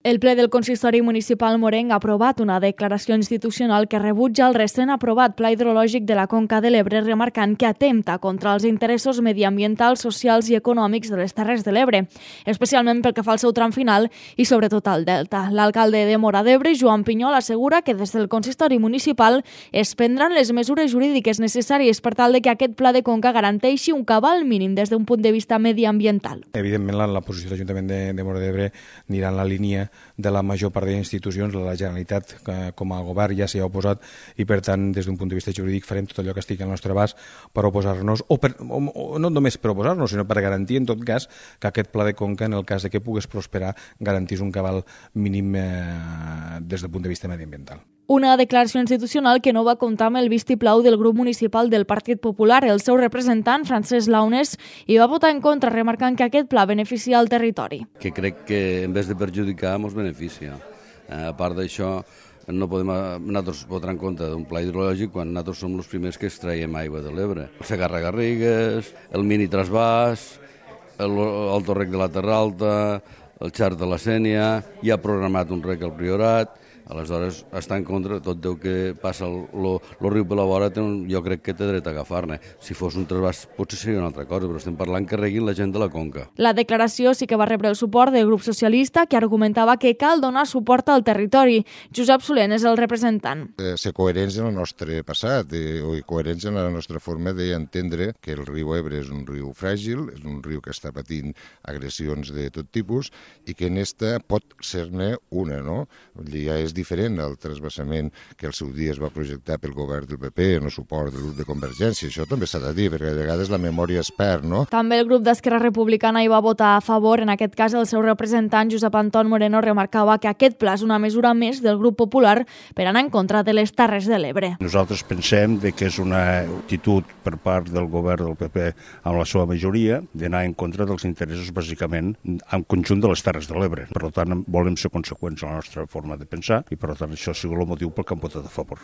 El ple del Consistori Municipal Morenc ha aprovat una declaració institucional que rebutja el recent aprovat Pla Hidrològic de la Conca de l'Ebre, remarcant que atempta contra els interessos mediambientals, socials i econòmics de les Terres de l'Ebre, especialment pel que fa al seu tram final i sobretot al delta. L'alcalde de Móra d'Ebre, Joan Pinyol, assegura que des del Consistori Municipal es prendran les mesures jurídiques necessàries per tal de que aquest pla de conca garanteixi un cabal mínim des d'un punt de vista mediambiental. Evidentment, la posició de l'Ajuntament de Móra d'Ebre anirà en la línia de la major part d'institucions. La Generalitat com a govern ja s'hi ha oposat i per tant des d'un punt de vista jurídic farem tot allò que estigui al nostre abast per oposar-nos o no només per oposar-nos sinó per garantir en tot cas que aquest pla de conca, en el cas de que pogués prosperar, garantís un cabal mínim des del punt de vista mediambiental. Una declaració institucional que no va comptar amb el vistiplau del grup municipal del Partit Popular. El seu representant, Francesc Launes, hi va votar en contra, remarcant que aquest pla beneficia el territori. Que crec que en vez de perjudicar ens beneficia. A part d'això, no podem nosaltres votar en contra d'un pla hidrològic quan nosaltres som els primers que extraiem aigua de l'Ebre. El Segarra-Garrigues, el mini trasbàs, el torrec de la Terra Alta, el xart de la Sénia, hi ha programat un rec al Priorat. Aleshores, està en contra de tot el que passa el riu per la vora, jo crec que té dret a agafar-ne. Si fos un trasbàs potser seria una altra cosa, però estem parlant que reguin la gent de la conca. La declaració sí que va rebre el suport del grup socialista, que argumentava que cal donar suport al territori. Josep Solent és el representant. Ser coherents en el nostre passat i coherents en la nostra forma d'entendre que el riu Ebre és un riu fràgil, és un riu que està patint agressions de tot tipus i que en esta pot ser-ne una, no? Ja és diferent al trasbassament que al seu dia es va projectar pel govern del PP en el suport del grup de Convergència. Això també s'ha de dir, perquè a vegades la memòria es perd, no? També el grup d'Esquerra Republicana hi va votar a favor. En aquest cas, el seu representant, Josep Anton Moreno, remarcava que aquest pla és una mesura més del grup popular per anar en contra de les Terres de l'Ebre. Nosaltres pensem que és una actitud per part del govern del PP amb la seva majoria d'anar en contra dels interessos, bàsicament, en conjunt de les Terres de l'Ebre. Per tant, volem ser conseqüents a la nostra forma de pensar i, per tant, això ha sigut el motiu pel que hem votat a favor.